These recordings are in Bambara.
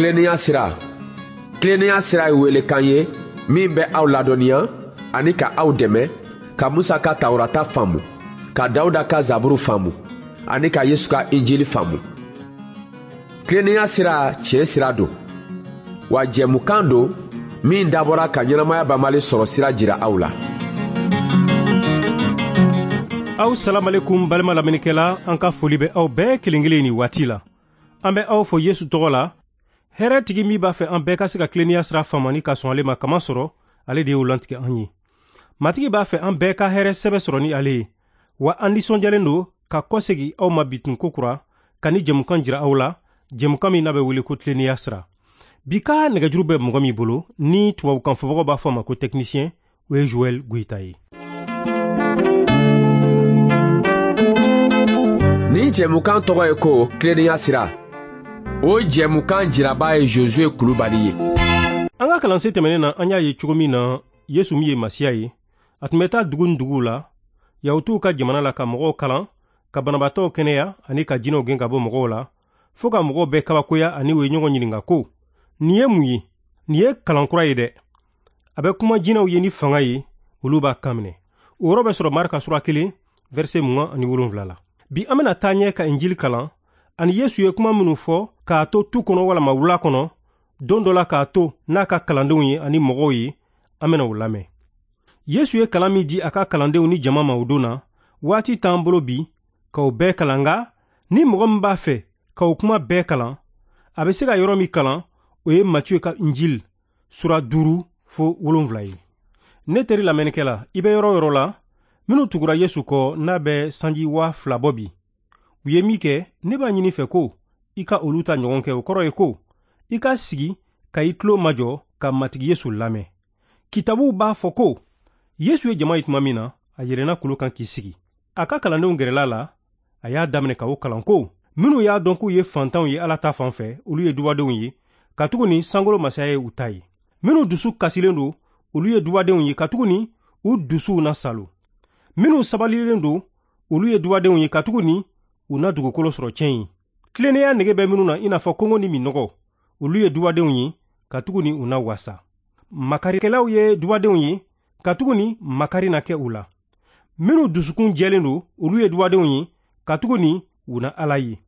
Tilennenya sira. Tilennenya sira ye welekan ye min bɛ aw ladɔnniya ani ka aw dɛmɛ ka Musa ka Tawurata faamu, ka Dawuda ka Zaburu faamu ani ka Yesu ka Injili faamu. Tilennenya sira tiɲɛ sira don, wa jɛmukan don min dabɔra ka ɲɛnamaya banbali sɔrɔ sira jira aw la. Aw salamalekum balima lamɛnnikɛla, an ka foli bɛ aw bɛɛ kelen kelen nin waati la. An bɛ aw fo Yesu tɔgɔ la. Hɛrɛ tigi min b'a fɛ an bɛɛ ka se ka tilennenya sira faamu ani ka sɔn ale ma kama sɔrɔ, ale de y'o lantigɛ an ye. Matigi b'a fɛ an bɛɛ ka hɛrɛ sɛbɛ sɔrɔ ni ale ye. Wa an nisɔndiyalen don ka kɔsegi aw ma bi tun kokura ka ni jɛmukan jira aw la, jɛmukan min n'a bɛ wele ko tilennenya sira. Bi ka nɛgɛjuru bɛ mɔgɔ min bolo ni tubabukan fɔbagaw b'a fɔ a ma ko technicien, o ye Joël Goïta ye. Nin jɛmukan tɔgɔ ye ko tilennenya sira. O jɛmukan jiraba ye Josué Kulubali ye. An ka kalansen tɛmɛnen na, an y'a ye cogo min na Yesu min ye Masiya ye, a tun bɛ taa dugu ni duguw la, Yahutuw ka jamana la, ka mɔgɔw kalan, ka banabaatɔw kɛnɛya ani ka jinɛw gɛn ka bɔ mɔgɔw la, fo ka mɔgɔw bɛɛ kabakoya ani u ye ɲɔgɔn ɲininka ko, nin ye mun ye? Nin ye kalan kura ye dɛ. A bɛ kuma jinɛw ye ni fanga ye, olu b'a kan minɛ. O yɔrɔ bɛ sɔrɔ Marka sura 1, verset 27 la. Bi an bɛna taa ɲɛ ka Injili kalan, ani Yesu ye kuma minnu fɔ k'a to tu kɔnɔ walama wula kɔnɔ, don dɔ la k'a to n'a ka kalandenw ye ani mɔgɔw ye, an bɛna o lamɛn. Yesu ye kalan min di a ka kalandenw ni jama ma o don na, waati t'an bolo bi k'o bɛɛ kalan, nka ni mɔgɔ min b'a fɛ k'o kuma bɛɛ kalan, a bɛ se ka yɔrɔ min kalan, o ye Matiyu ka Injili sura 5 fo 7 ye. Ne teri lamɛnnikɛla, i bɛ yɔrɔ o yɔrɔ la, minnu tugura Yesu kɔ n'a bɛ sanji 2000 bɔ bi, u ye min kɛ, ne b'a ɲini fɛ ko i ka olu ta ɲɔgɔn kɛ. O kɔrɔ ye ko i ka sigi ka i tulo majɔ ka Matigi Yesu lamɛn. Kitabuw b'a fɔ ko Yesu ye jama ye tuma min na, a yɛlɛnna kulu kan k'i sigi. A ka kalandenw gɛrɛla la, a y'a daminɛ ka o kalan ko minnu y'a dɔn k'u ye fantanw ye Ala ta fan fɛ, olu ye dubadenw ye, katuguni sankolo masaya ye u ta ye. Minnu dusu kasilen don, olu ye dubadenw ye, katuguni u dusuw na salo. Minnu sabalilen don, olu ye dubadenw ye, katuguni u na dugukolo sɔrɔ tiɲɛ ye. Tilennenya nege bɛ minnu na i n'a fɔ kɔngɔ ni minnɔgɔ, olu ye dubadenw ye, katuguni u na wasa. Makarikɛlaw ye dubadenw ye, katuguni makari na kɛ u la. Minnu dusukun jɛlen don, olu ye dubadenw ye, katuguni u na Ala ye.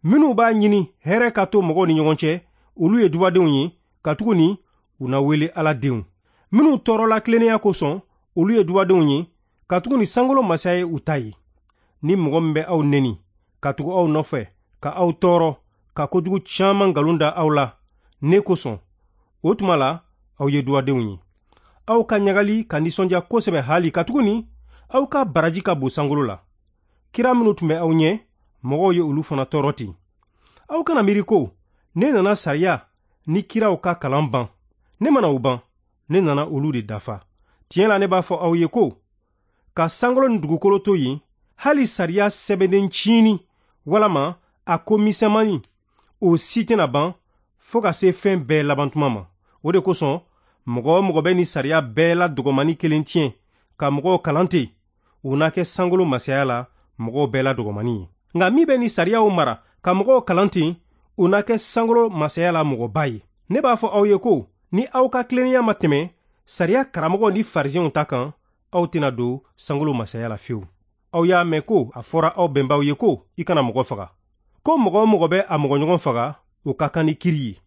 Minnu b'a ɲini hɛrɛ ka to mɔgɔw ni ɲɔgɔn cɛ, olu ye dubadenw ye, katuguni u na wele Ala denw. Minnu tɔɔrɔla tilennenya kosɔn, olu ye dubadenw ye, katuguni sankolo masaya ye u ta ye. Ni mɔgɔ min bɛ aw neni, ka tugu aw nɔfɛ, ka aw tɔɔrɔ, ka kojugu caman nkalon da aw la ne kosɔn, o tuma la aw ye dubadenw ye. Aw ka ɲagali ka nisɔndiya kosɛbɛ hali, katuguni aw ka baraji ka bon sankolo la. Kira minnu tun bɛ aw ɲɛ, mɔgɔw ye olu fana tɔɔrɔ ten. Aw kana miiri ko ne nana sariya ni kiraw ka kalan ban. Ne mana o ban, ne nana olu de dafa. Tiɲɛ la ne b'a fɔ aw ye ko ka sankolo ni dugukolo to yen, hali sariya sɛbɛnnen ciini walama a ko misɛnmanin, o si tɛna ban fo ka se fɛn bɛɛ labantuma ma. O de kosɔn mɔgɔ o mɔgɔ bɛ ni sariya bɛɛ la dɔgɔmani kelen tiɲɛ ka mɔgɔw kalan ten, o na kɛ sankolo masaya la mɔgɔw bɛɛ la dɔgɔmani ye. Nka min bɛ ni sariyaw mara ka mɔgɔw kalan ten, o na kɛ sankolo masaya la mɔgɔba ye. Ne b'a fɔ aw ye ko ni aw ka tilennenya ma tɛmɛ sariya karamɔgɔw ni farisɛnw ta kan, aw tɛna don sankolo masaya la fiyewu. Aw y'a mɛn ko a fɔra aw bɛnbaw ye ko i kana mɔgɔ faga, ko mɔgɔ o mɔgɔ bɛ a mɔgɔɲɔgɔn faga, o ka kan ni kiri ye.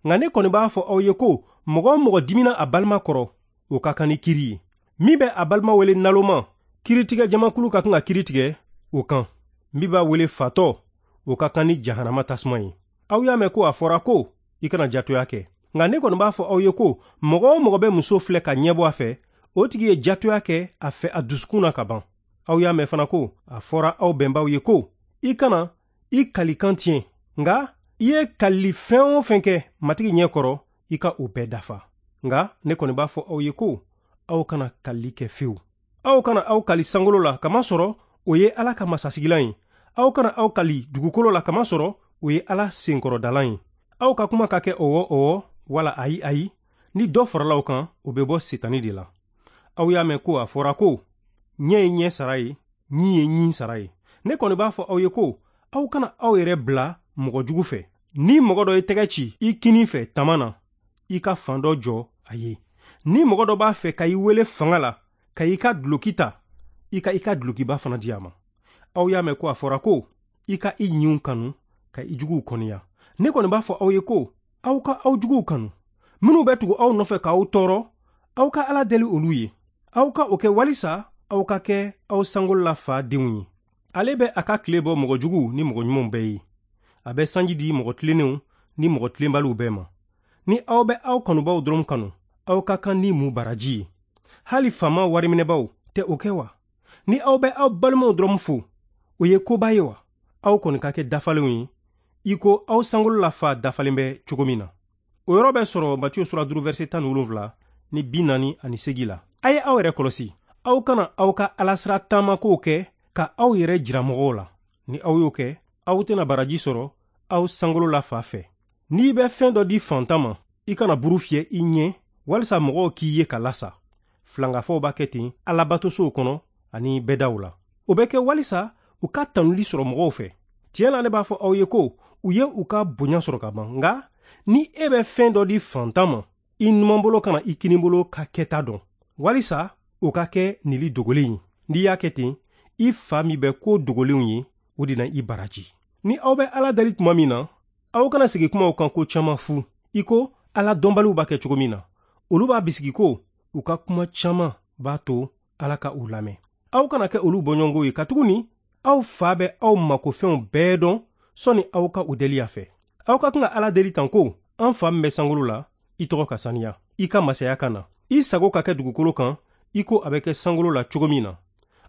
Nka ne kɔni b'a fɔ aw ye ko mɔgɔ o mɔgɔ dimina a balima kɔrɔ, o ka kan ni kiri ye. Min bɛ a balima wele naloma, kiritigɛ jamakulu ka kan ka kiri tigɛ o kan. Min b'a wele fatɔ, o ka kan ni jahanama tasuma ye. Aw y'a mɛn ko a fɔra ko i kana jatoya kɛ. Nka ne kɔni b'a fɔ aw ye ko mɔgɔ o mɔgɔ bɛ muso filɛ ka ɲɛbɔ a fɛ, o tigi ye jatoya kɛ a fɛ a dusukun na ka ban. Aw y'a mɛn fana ko a fɔra aw bɛnbaw ye ko i kana i kalikan tiɲɛ, nka i ye kalili fɛn o fɛn kɛ Matigi ɲɛ kɔrɔ, i ka o bɛɛ dafa. Nka ne kɔni b'a fɔ aw ye ko aw kana kalili kɛ fewu. Aw kana aw kali sankolo la, kamasɔrɔ o ye Ala ka masasigilan ye. Aw kana aw kali dugukolo la, kamasɔrɔ o ye Ala senkɔrɔdalan ye. Aw ka kuma ka kɛ ɔwɔ ɔwɔ wala ayi ayi. Ni dɔ farala o kan, o bɛ bɔ Setani de la. Aw y'a mɛn ko a fɔra ko ɲɛ ye ɲɛ sara ye, ɲin ye ɲin sara ye. Ne kɔni b'a fɔ aw ye ko aw kana aw yɛrɛ bila mɔgɔ jugu fɛ. Ni mɔgɔ dɔ ye tɛgɛ ci i kinin fɛ tama na, i ka fan dɔ jɔ a ye. Ni mɔgɔ dɔ b'a fɛ ka i wele fanga la ka i ka duloki ta, i ka i ka dulokiba fana di a ma. Aw y'a mɛn ko a fɔra ko i ka i ɲinw kanu ka i juguw kɔniya. Ne kɔni b'a fɔ aw ye ko aw ka aw juguw kanu. Minnu bɛ tugu aw nɔfɛ k'aw tɔɔrɔ, aw ka Ala deli olu ye. Aw ka o kɛ walisa aw ka kɛ aw sankolola fa denw ye. Ale bɛ a ka tile bɔ mɔgɔ juguw ni mɔgɔ ɲumanw bɛɛ ye. A bɛ sanji di mɔgɔ tilennenw ni mɔgɔ tilenbaliw bɛɛ ma. Ni aw bɛ aw kanubaw dɔrɔn kanu, aw ka kan ni mun baraji ye? Hali faama wariminɛbaw tɛ o kɛ wa? Ni aw bɛ aw balimaw dɔrɔn fo, o ye koba ye wa? Aw kɔni ka kɛ dafalenw ye, i ko aw sankolola fa dafalen bɛ cogo min na. O yɔrɔ bɛ sɔrɔ Matiyu sura 5 verset 17 ni 48 la. A ye aw yɛrɛ kɔlɔsi, aw kana aw ka alasira taamakow kɛ ka aw yɛrɛ jira mɔgɔw la. Ni aw y'o kɛ, aw tɛna baraji sɔrɔ aw sankolola fa fɛ. N'i bɛ fɛn dɔ di fantan ma, i kana buru fiyɛ i ɲɛ walisa mɔgɔw k'i ye ka lasa. Filankafow b'a kɛ ten alabatosow kɔnɔ ani bɛdaw la. O bɛ kɛ walisa u ka tanuli sɔrɔ mɔgɔw fɛ. Tiɲɛ la, ne b'a fɔ aw ye ko u ye u ka bonya sɔrɔ ka ban. Nka ni e bɛ fɛn dɔ di fantan ma, i numanbolo kana i kinibolo ka kɛta dɔn, walisa o ka kɛ nili dogolen ye. N'i y'a kɛ ten, i fa min bɛ ko dogolenw ye, o de na i baraji. Ni aw bɛ Ala deli tuma min na, aw kana sigi kumaw kan ko caman fu, i ko Ala dɔnbaliw b'a kɛ cogo min na. Olu b'a bisigi ko u ka kuma caman b'a to Ala ka u lamɛn. Aw kana kɛ olu bɔɲɔgɔnko ye, katuguni aw fa bɛ aw makofɛnw bɛɛ dɔn sɔnni aw ka u deli a fɛ. Aw ka kan ka Ala deli tan ko: an fa min bɛ sankolo la, i tɔgɔ ka saniya, i ka masaya ka na, i sago ka kɛ dugukolo kan i ko a bɛ kɛ sankolo la cogo min na.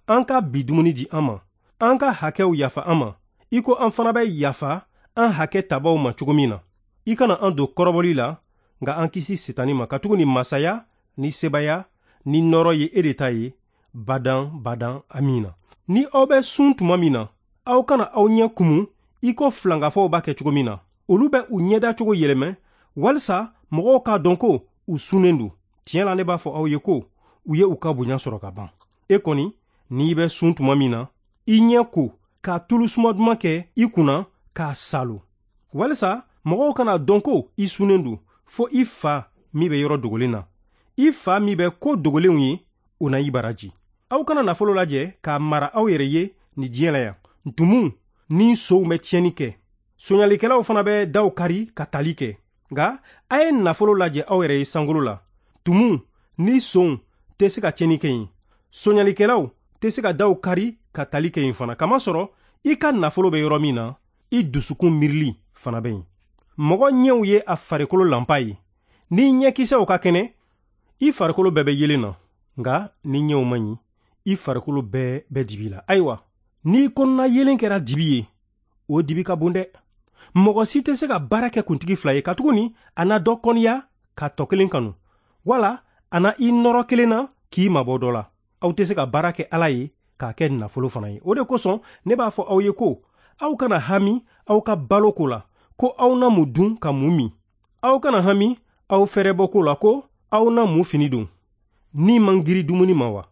An ka bi dumuni di an ma, an ka hakɛw yafa an ma, i ko an fana bɛ yafa an hakɛ tabaw ma cogo min na. I kana an don kɔrɔbɔli la, nka an kisi Setani ma, katuguni masaya ni sebaya ni nɔɔrɔ ye e de ta ye, badan badan, amina. Ni aw bɛ sun tuma min na, aw kana aw ɲɛ kumu i ko filankafow b'a kɛ cogo min na. Olu bɛ u ɲɛda cogo yɛlɛmɛ walisa mɔgɔw k'a dɔn ko u sunnen don. Tiɲɛ la, ne b'a fɔ aw ye ko u ye u ka bonya sɔrɔ ka ban. E kɔni, n'i bɛ sun tuma min na, i ɲɛ ko ka tulu suma duman kɛ i kunna k'a salo, walisa mɔgɔw kana dɔn ko i sunnen don, fo i fa min bɛ yɔrɔ dogolen na. I fa min bɛ ko dogolenw ye, o na i baraji. Aw kana nafolo lajɛ k'a mara aw yɛrɛ ye nin diɲɛ la yan. Ntumuw ni sow bɛ tiɲɛni kɛ, soɲalikɛlaw fana bɛ daw kari ka tali kɛ. Nka a ye nafolo lajɛ aw yɛrɛ ye sankolo la. Tumuw ni sonw tɛ se ka tiɲɛni kɛ yen, soɲalikɛlaw tɛ se ka daw kari ka tali kɛ yen fana. Kamasɔrɔ i ka nafolo bɛ yɔrɔ min na, i dusukun miirili fana bɛ yen. Mɔgɔ ɲɛw ye a farikolo lanpa ye. Ni ɲɛkisɛw ka kɛnɛ, i farikolo bɛɛ bɛ yelen na. Nka ni ɲɛw man ɲi, i farikolo bɛɛ bɛ dibi la. Ayiwa, n'i kɔnɔna yelen kɛra dibi ye, o dibi ka bon dɛ. Mɔgɔ si tɛ se ka baara kɛ kuntigi fila ye, katuguni a na dɔ kɔniya ka tɔ kelen kanu, wala a na i nɔrɔ kelen na k'i mabɔ dɔ la. Aw tɛ se ka baara kɛ Ala ye k'a kɛ nafolo fana ye. O de kosɔn ne b'a fɔ aw ye ko aw kana hami aw ka balo ko la, ko aw na mun dun ka mun min. Aw kana hami aw fɛrɛbɔ ko la, ko aw na mun fini don. Ni man giri dumuni ma wa?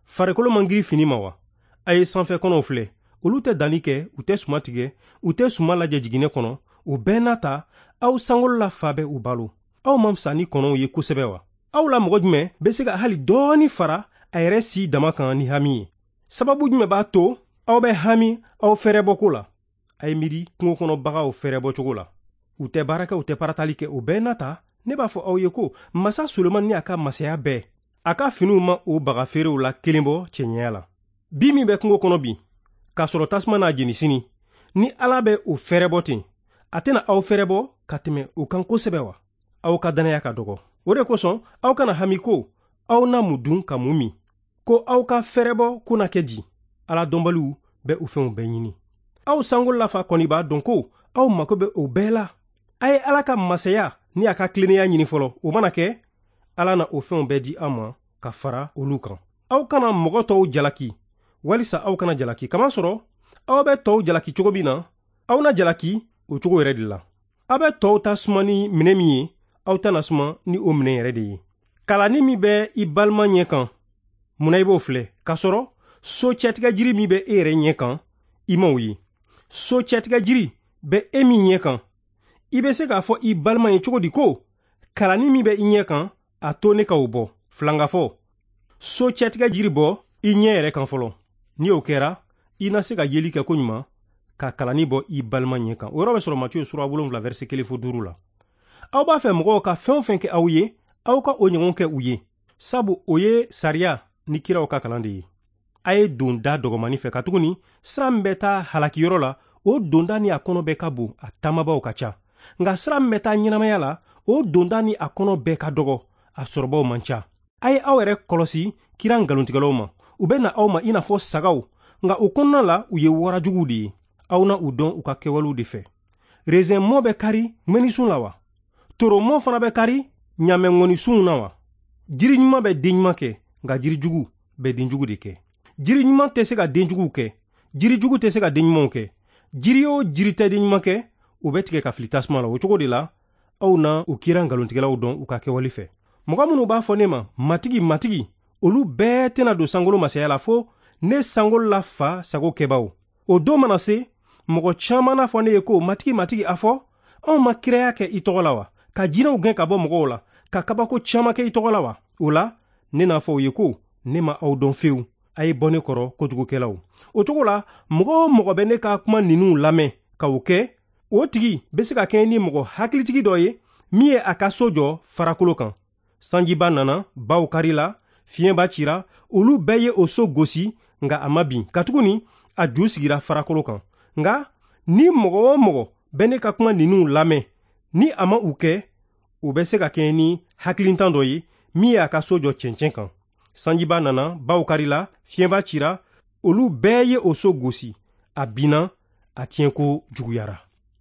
Farikolo man giri fini ma wa? A ye sanfɛ kɔnɔw filɛ, olu tɛ danni kɛ, u tɛ suma tigɛ, u tɛ suma lajɛ jiginɛ kɔnɔ. O bɛɛ n'a ta, aw sankolola fa bɛ u balo. Aw man fisa ni kɔnɔw ye kosɛbɛ wa? Aw la mɔgɔ jumɛn bɛ se ka hali dɔɔni fara a yɛrɛ si dama kan ni hami ye? Sababu jumɛn b'a to aw bɛ hami aw fɛrɛbɔko la? A ye miiri kungo kɔnɔ bagaw fɛrɛbɔcogo la. U tɛ baara kɛ, u tɛ paratali kɛ. O bɛɛ n'a ta, ne b'a fɔ aw ye ko masa Solomani ni a ka masaya bɛɛ, a ka finiw ma o baga feerew la kelen bɔ cɛɲɛya la. Bi min bɛ kungo kɔnɔ bi, k'a sɔrɔ tasuma n'a jeni sini, ni Ala bɛ o fɛrɛbɔ ten, a tɛna aw fɛrɛbɔ ka tɛmɛ o kan kosɛbɛ wa? Aw ka dannaya ka dɔgɔ. O de kosɔn aw kana hami ko aw na mun dun ka mun min, ko aw ka fɛrɛbɔ ko na kɛ di. Ala dɔnbaliw bɛ o fɛnw bɛɛ ɲini. Aw sankolola fa kɔni b'a dɔn ko aw mako bɛ o bɛɛ la. A ye Ala ka masaya ni a ka tilennenya ɲini fɔlɔ. O mana kɛ, Ala na o fɛnw bɛɛ di aw ma ka fara olu kan. Aw kana mɔgɔ tɔw jalaki walisa aw kana jalaki, kamasɔrɔ aw bɛ tɔw jalaki cogo min na, aw na jalaki o cogo yɛrɛ de la. Aw bɛ tɔw ta suma ni minɛ min ye, aw ta na suma ni o minɛ yɛrɛ de ye. Kalanni min bɛ i balima ɲɛ kan, munna i b'o filɛ? K'a sɔrɔ so cɛtigɛ jiri min bɛ e yɛrɛ ɲɛ kan, i m'o ye. So cɛtigɛ jiri bɛ e min ɲɛ kan, I bɛ se k'a fɔ i balima ye cogo di ko kalanni min bɛ i ɲɛ kan, a to ne ka o bɔ? Filangafɔ, so cɛtigɛ jiri bɔ i ɲɛ yɛrɛ kan fɔlɔ. Ni o kɛra, i na se ka yeli kɛ koɲuman ka kalanni bɔ i balima ɲɛ kan. O yɔrɔ bɛ sɔrɔ Matiyu sura 7 verset 1 fo 5 la. Aw b'a fɛ mɔgɔw ka fɛn o fɛn kɛ aw ye, aw ka o ɲɔgɔn kɛ u ye, sabu o ye sariya ni kiraw ka kalan de ye. A ye don da dɔgɔmani fɛ, katuguni sira min bɛ taa halakiyɔrɔ la, o donda ni a kɔnɔ bɛɛ ka bon, a taamabaaw ka ca. Nka sira min bɛ taa ɲɛnamaya la, o donda ni a kɔnɔ bɛɛ ka dɔgɔ, a sɔrɔbaw man ca. A ye aw yɛrɛ kɔlɔsi kira nkalontigɛlaw ma. U bɛ na aw ma i n'a fɔ sagaw, nka o kɔnɔna la u ye warajuguw de ye. Aw na u dɔn u ka kɛwalew de fɛ. Rezɛn mɔ bɛ kari ŋɛnisun la wa? Toromɔ fana bɛ kari ɲamɛŋɔnisunw na wa? Jiri ɲuman bɛ den ɲuman kɛ, nka jiri jugu bɛ den jugu de kɛ. Jiri ɲuman tɛ se ka den juguw kɛ, jiri jugu tɛ se ka den ɲumanw kɛ. Jiri o jiri tɛ den ɲuman kɛ, o bɛ tigɛ ka fili tasuma la. O cogo de la, aw na u kira nkalontigɛlaw dɔn u ka kɛwale fɛ. Mɔgɔ minnu b'a fɔ ne ma Matigi, Matigi, olu bɛɛ tɛna don sankolo masaya la, fo ne sankolo la Fa sago kɛbaaw. O don mana se, mɔgɔ caman n'a fɔ ne ye ko Matigi, Matigi, a fɔ anw ma kiraya kɛ i tɔgɔ la wa? Ka jinɛw gɛn ka bɔ mɔgɔw la, ka kabako caman kɛ i tɔgɔ la wa? O la, ne n'a fɔ u ye ko ne ma aw dɔn fewu. A ye bɔ ne kɔrɔ, kojugukɛlaw. O cogo la, mɔgɔ o mɔgɔ bɛ ne ka kuma ninnu lamɛn ka o kɛ, o tigi bɛ se ka kɛ ni mɔgɔ hakilitigi dɔ ye min ye a ka so jɔ farakolo kan. Sanjiba nana, baw karila, fiɲɛba cira, olu bɛɛ ye o so gosi, nka a ma bin, katuguni a ju sigira farakolo kan. Nka ni mɔgɔ o mɔgɔ bɛ ne ka kuma ninnu lamɛn, ni a ma u kɛ, o bɛ se ka kɛ ni hakilintan dɔ ye min ye a ka so jɔ cɛncɛn kan. Sanjiba nana, baw karila, fiɲɛba cira, olu bɛɛ ye o so gosi, a binna, a tiɲɛko juguyara.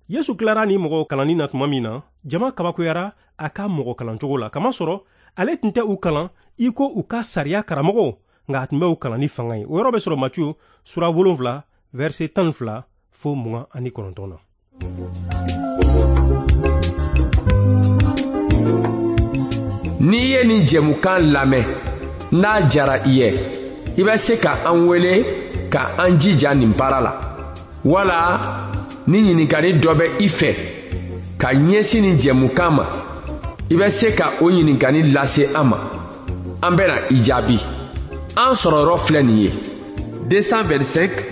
Yesu tilara ni mɔgɔw kalanni na tuma min na, jama kabakoyara a ka mɔgɔ kalancogo la, kamasɔrɔ ale tun tɛ u kalan i ko u ka sariya karamɔgɔw, nka a tun bɛ u kalan ni fanga ye. O yɔrɔ bɛ sɔrɔ Matiyu sura 7 verset 12 fo 29 na. N'i ye nin jɛmukan lamɛn, n'a jara i ye, i bɛ se ka an wele ka an jija nin baara la, wala ni ɲininkali dɔ bɛ i fɛ ka ɲɛsin nin jɛmukan ma, i bɛ se ka o ɲininkali lase an ma. An bɛna i jaabi. An sɔrɔyɔrɔ filɛ nin ye: 225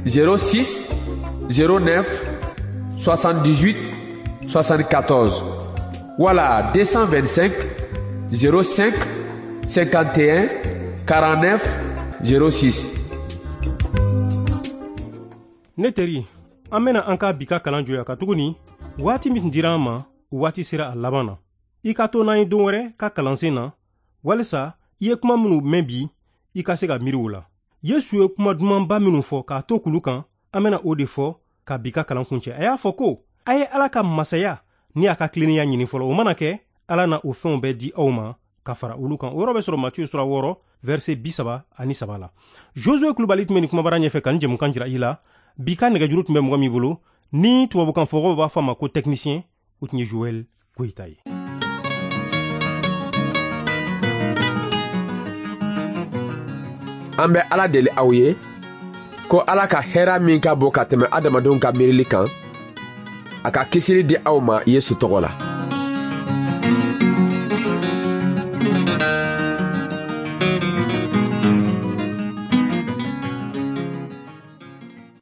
06 09 78 74 wala 225 05 51 49 06. Ne teri, an bɛna an ka bi ka kalan jɔya, katuguni waati min tun dira an ma, waati sera a laban na. I ka to n'an ye don wɛrɛ ka kalansen na, walisa i ye kuma minnu mɛn bi, i ka se ka miiri o la. Yesu ye kuma dumanba minnu fɔ k'a to kulu kan, an bɛna o de fɔ ka bi ka kalan kuncɛ. A y'a fɔ ko a ye Ala ka masaya ni a ka tilennenya ɲini fɔlɔ. O mana kɛ, Ala na o fɛnw bɛɛ di aw ma ka fara olu kan. O yɔrɔ bɛ sɔrɔ Matiyu sura 6 verset 33 la. Josue Kulubali tun bɛ nin kumabara ɲɛfɛ ka nin jɛmukan jira i la. Bi ka nɛgɛjuru tun bɛ mɔgɔ min bolo, ni tubabukan fɔbagaw b'a fɔ a ma ko technicien, o tun ye Joël Goyita ye. An bɛ Ala deli aw ye ko Ala ka hɛrɛ min ka bon ka tɛmɛ adamadenw ka miirili kan, a ka kisili di aw ma Yesu tɔgɔ la.